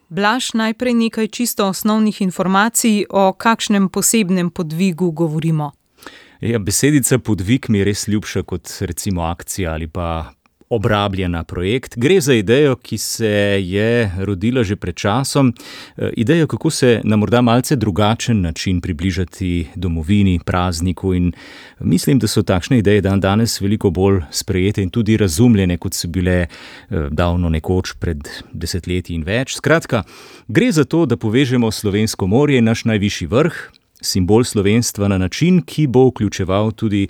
Blaž, najprej nekaj čisto osnovnih informacij, o kakšnem posebnem podvigu govorimo. Besedica podvig mi je res ljubša kot recimo akcija ali pa obrabljena projekt. Gre za idejo, ki se je rodila že pred časom. Idejo, kako se na morda malce drugačen način približati domovini, prazniku, in mislim, da so takšne ideje danes veliko bolj sprejete in tudi razumljene, kot so bile davno nekoč pred desetletji in več. Skratka, gre za to, da povežemo slovensko morje, naš najvišji vrh, simbol slovenstva, na način, ki bo vključeval tudi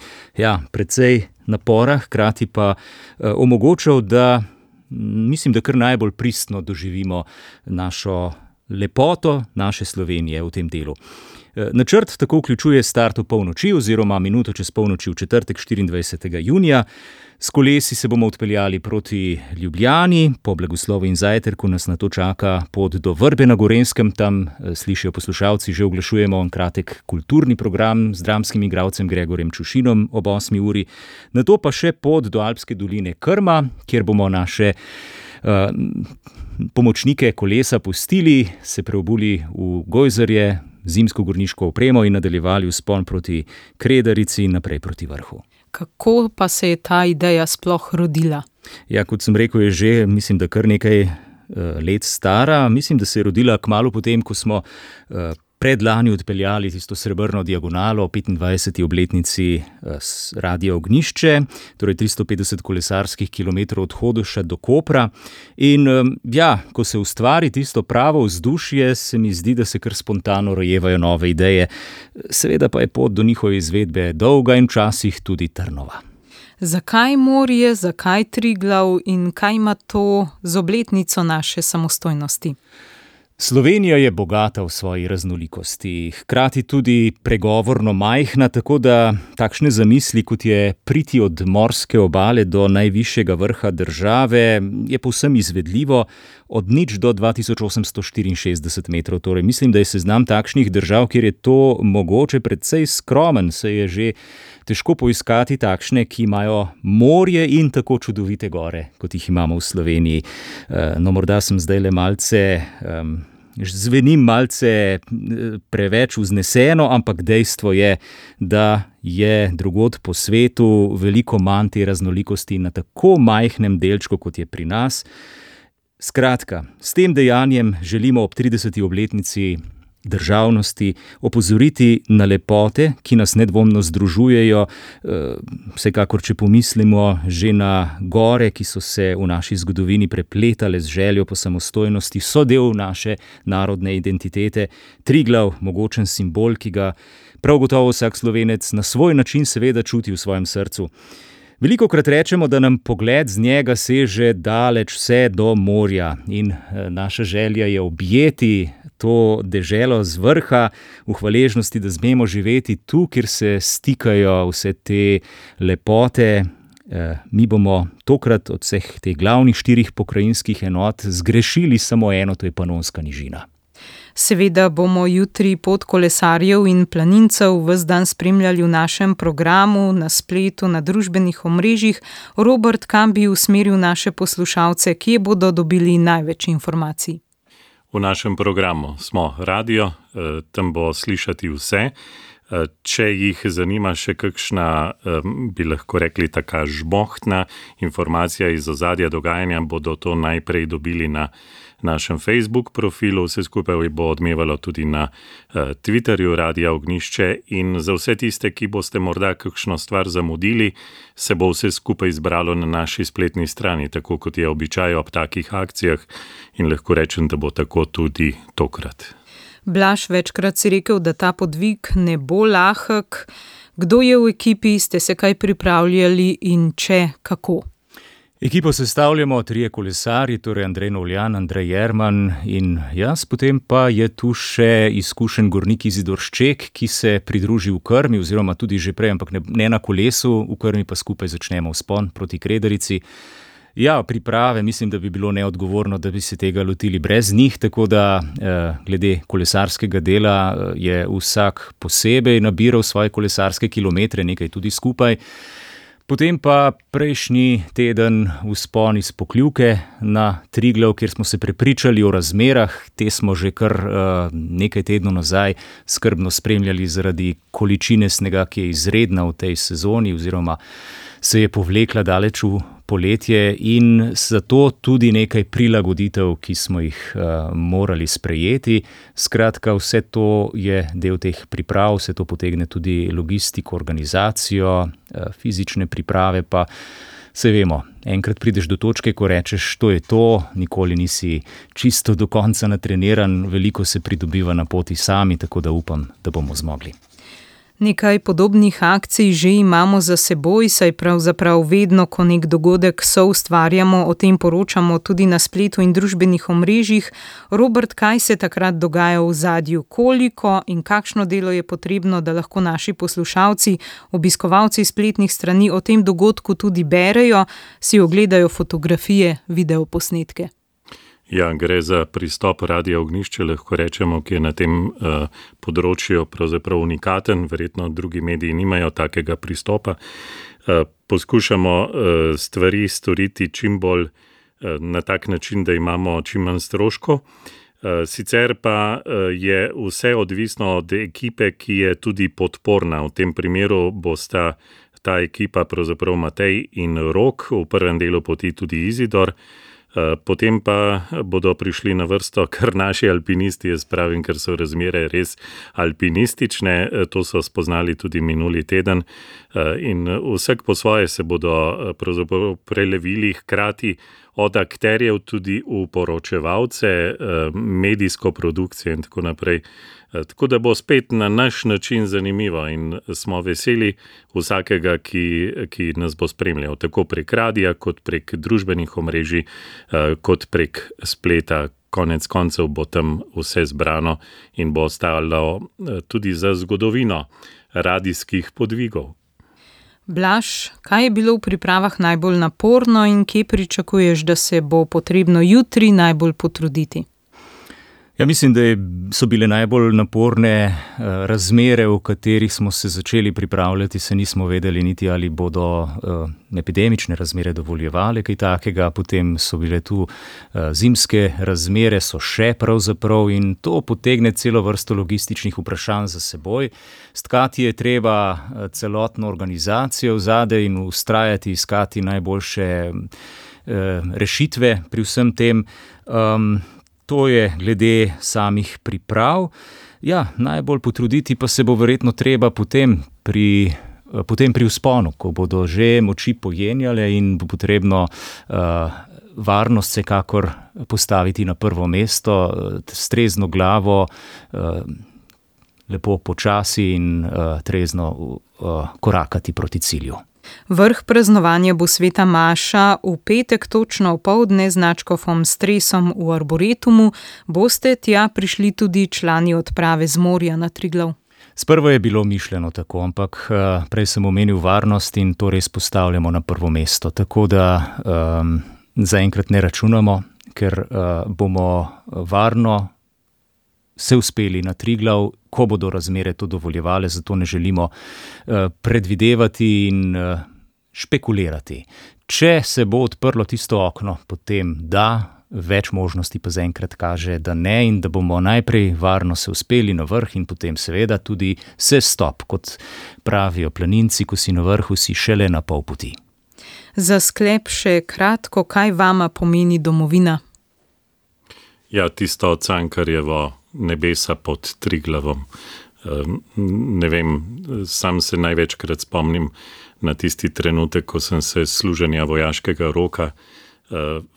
precej napora, hkrati pa omogočal, da mislim, da kar najbolj pristno doživimo našo lepoto naše Slovenije v tem delu. Načrt tako vključuje start v polnoči oziroma minuto čez polnoči v četrtek 24. junija. S kolesi se bomo odpeljali proti Ljubljani, po blagoslovu in zajtrku nas nato čaka pot do Vrbe na Gorenjskem, tam slišijo poslušalci, že oglašujemo kratek kulturni program z dramskim igralcem Gregorjem Čušinom ob 8. uri. Nato pa še pot do Alpske doline Krma, kjer bomo naše pomočnike kolesa pustili, se preobuli v gojzarje, zimsko gorniško opremo in nadaljevali vzpon proti Kredarici in naprej proti vrhu. Kako pa se je ta ideja sploh rodila? Kot sem rekel, je že, mislim, da kar nekaj let stara. Mislim, da se je rodila kmalu potem, ko smo predlani odpeljali tisto srebrno diagonalo o 25. obletnici Radia Ognjišče, torej 350 kolesarskih kilometrov od Hodoša do Kopra. In ko se ustvari tisto pravo vzdušje, se mi zdi, da se kar spontano rojevajo nove ideje. Seveda pa je pot do njihove izvedbe dolga in včasih tudi trnova. Zakaj morje, zakaj Triglav in kaj ima to z obletnico naše samostojnosti? Slovenija je bogata v svoji raznolikosti, hkrati tudi pregovorno majhna, tako da takšne zamisli, kot je priti od morske obale do najvišjega vrha države, je povsem izvedljivo, od 0 do 2864 metrov. Torej, mislim, da je seznam takšnih držav, kjer je to mogoče, precej skromen, se je že težko poiskati takšne, ki imajo morje in tako čudovite gore, kot jih imamo v Sloveniji. Morda sem zdajle zvenim malce preveč vzneseno, ampak dejstvo je, da je drugod po svetu veliko manj te raznolikosti na tako majhnem delčku, kot je pri nas. Skratka, s tem dejanjem želimo ob 30. obletnici državnosti opozoriti na lepote, ki nas nedvomno združujejo, vsekakor, če pomislimo že na gore, ki so se v naši zgodovini prepletale z željo po samostojnosti, so del naše narodne identitete. Triglav, mogočen simbol, ki ga prav gotovo vsak Slovenec na svoj način seveda čuti v svojem srcu. Velikokrat rečemo, da nam pogled z njega seže daleč vse do morja in naša želja je objeti to deželo z vrha v hvaležnosti, da smemo živeti tu, kjer se stikajo vse te lepote. Mi bomo tokrat od vseh teh glavnih 4 pokrajinskih enot zgrešili samo eno, to je Panonska nižina. Seveda bomo jutri pot kolesarjev in planincev ves dan spremljali v našem programu, na spletu, na družbenih omrežjih. Robert, kam bi usmeril naše poslušalce, kje bodo dobili največ informacij? V našem programu smo radio, tam bo slišati vse. Če jih zanima še kakšna, bi lahko rekli, taka žbohtna informacija iz ozadja dogajanja, bodo to najprej dobili na našem Facebook profilu, vse skupaj bo odmevalo tudi na Twitterju Radia Ognjišče, in za vse tiste, ki boste morda kakšno stvar zamudili, se bo vse skupaj zbralo na naši spletni strani, tako kot je običaj ob takih akcijah, in lahko rečem, da bo tako tudi tokrat. Blaž, večkrat si rekel, da ta podvig ne bo lahek. Kdo je v ekipi, ste se kaj pripravljali in če, kako? Ekipo sestavljamo 3 kolesarji, torej Andrej Novljan, Andrej Jerman in jaz, potem pa je tu še izkušen gornik Izidor Šček, ki se pridruži v Krmi, oziroma tudi že prej, ampak ne na kolesu, v Krmi pa skupaj začnemo vzpon proti Kredarici. Priprave, mislim, da bi bilo neodgovorno, da bi se tega lotili brez njih, tako da glede kolesarskega dela je vsak posebej nabiral svoje kolesarske kilometre, nekaj tudi skupaj. Potem pa prejšnji teden vzpon iz Pokljuke na Triglav, kjer smo se prepričali o razmerah. Te smo že kar nekaj tednov nazaj skrbno spremljali zaradi količine snega, ki je izredna v tej sezoni oziroma se je povlekla daleč v poletje, in zato tudi nekaj prilagoditev, ki smo jih morali sprejeti. Skratka, vse to je del teh priprav, vse to potegne tudi logistiko, organizacijo, fizične priprave, pa se vemo, enkrat prideš do točke, ko rečeš, to je to, nikoli nisi čisto do konca natreniran, veliko se pridobiva na poti sami, tako da upam, da bomo zmogli. Nekaj podobnih akcij že imamo za seboj, saj pravzaprav vedno, ko nek dogodek soustvarjamo, o tem poročamo tudi na spletu in družbenih omrežjih. Robert, kaj se takrat dogaja v ozadju? Koliko in kakšno delo je potrebno, da lahko naši poslušalci, obiskovalci spletnih strani o tem dogodku tudi berejo, si ogledajo fotografije, videoposnetke? Ja, gre za pristop Radia Ognjišče, lahko rečemo, ki je na tem področju pravzaprav unikaten, verjetno drugi mediji nimajo takega pristopa. Poskušamo stvari storiti čim bolj na tak način, da imamo čim manj stroškov. Sicer pa je vse odvisno od ekipe, ki je tudi podporna. V tem primeru bosta ta ekipa pravzaprav Matej in Rok, v prvem delu poti tudi Izidor. Potem pa bodo prišli na vrsto kar naši alpinisti, jaz pravim, ker so razmere res alpinistične, to so spoznali tudi minuli teden, in vsak po svoje se bodo pravzaprav prelevili hkrati od akterjev tudi v poročevalce, medijsko produkcijo in tako naprej. Tako da bo spet na naš način zanimivo in smo veseli vsakega, ki nas bo spremljal, tako prek radija, kot prek družbenih omrežij, kot prek spleta. Konec koncev bo tam vse zbrano in bo ostalo tudi za zgodovino radijskih podvigov. Blaž, kaj je bilo v pripravah najbolj naporno in kje pričakuješ, da se bo potrebno jutri najbolj potruditi? Ja, mislim, da so bile najbolj naporne razmere, v katerih smo se začeli pripravljati, se nismo vedeli niti, ali bodo epidemične razmere dovoljevale kaj takega, potem so bile tu zimske razmere, so še pravzaprav, in to potegne celo vrsto logističnih vprašanj za seboj. Stkati je treba celotno organizacijo vzadej in vztrajati, iskati najboljše rešitve pri vsem tem. To je glede samih priprav. Ja, najbolj potruditi pa se bo verjetno treba potem pri vzponu, ko bodo že moči pojenjale in bo potrebno varnost vsekakor postaviti na prvo mesto, s trezno glavo, lepo počasi in trezno korakati proti cilju. Vrh praznovanja bo sveta maša v petek točno opoldne z nadškofom Stresom v Arboretumu. Boste tja prišli tudi člani odprave z morja na Triglav? Sprva je bilo mišljeno tako, ampak prej sem omenil varnost in to res postavljamo na prvo mesto. Tako da zaenkrat ne računamo, ker bomo varno se uspeli na Triglav, ko bodo razmere to dovoljevale, zato ne želimo predvidevati in špekulirati. Če se bo odprlo tisto okno, potem da, več možnosti pa zaenkrat kaže, da ne, in da bomo najprej varno se uspeli na vrh in potem seveda tudi sestop, kot pravijo planinci, ko si na vrhu, si šele na pol poti. Za sklep še kratko, kaj vama pomeni domovina? Ja, tisto Cankarjevo nebesa pod Triglavom. Ne vem, sam se največkrat spomnim na tisti trenutek, ko sem se s služenja vojaškega roka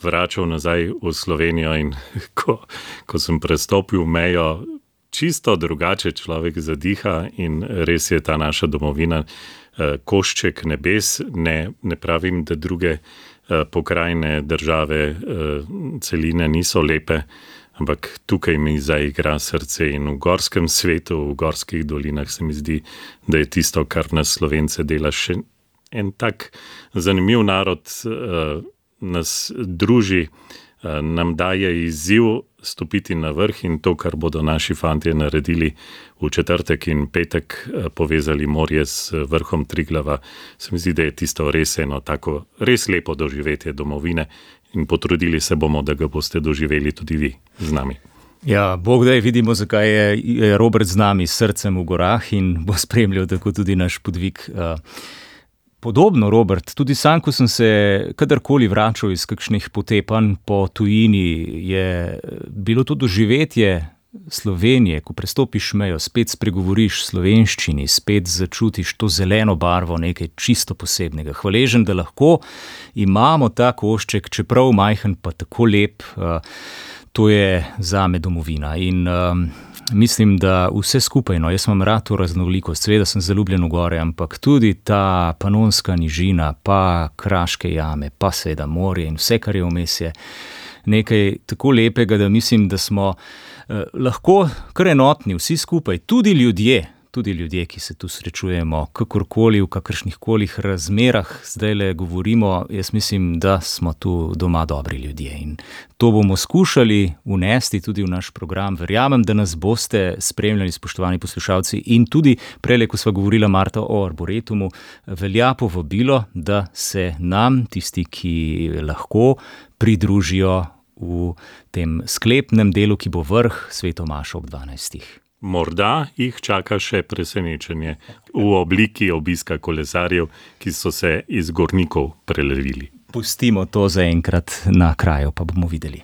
vračal nazaj v Slovenijo in ko sem prestopil mejo, čisto drugače človek zadiha in res je ta naša domovina košček nebes. Ne pravim, da druge pokrajine, države, celine niso lepe, ampak tukaj mi zaigra srce in v gorskem svetu, v gorskih dolinah se mi zdi, da je tisto, kar nas Slovence dela, še en tak zanimiv narod, nas druži nam daje izziv stopiti na vrh in to, kar bodo naši fantje naredili v četrtek in petek, povezali morje s vrhom Triglava. Se mi zdi, da je tisto res eno tako res lepo doživetje domovine in potrudili se bomo, da ga boste doživeli tudi vi z nami. Ja, Bog daj, vidimo, zakaj je Robert z nami s srcem v gorah in bo spremljal tako tudi naš podvig. Podobno, Robert, tudi sam, ko sem se kadarkoli vračal iz kakšnih potepanj po tujini, je bilo to doživetje Slovenije, ko prestopiš mejo, spet spregovoriš slovenščini, spet začutiš to zeleno barvo, nekaj čisto posebnega. Hvaležen, da lahko imamo ta košček, čeprav majhen, pa tako lep, to je zame domovina. In mislim, da vse skupaj, jaz imam rad to raznolikost, seveda sem zaljubljen v gore, ampak tudi ta Panonska nižina, pa Kraške jame, pa seveda morje in vse, kar je vmes, je nekaj tako lepega, da mislim, da smo lahko kar enotni vsi skupaj, tudi ljudje, ki se tu srečujemo, kakorkoli, v kakršnihkoli razmerah zdaj le govorimo, jaz mislim, da smo tu doma dobri ljudje in to bomo skušali vnesti tudi v naš program. Verjamem, da nas boste spremljali, spoštovani poslušalci, in tudi prejle, ko sva govorila, Marta, o Arboretumu, velja povabilo, da se nam, tisti, ki lahko, pridružijo v tem sklepnem delu, ki bo vrh Sveto mašo ob 12. Morda jih čaka še presenečenje v obliki obiska kolesarjev, ki so se iz Gornikov prelevili. Pustimo to zaenkrat na kraju, pa bomo videli.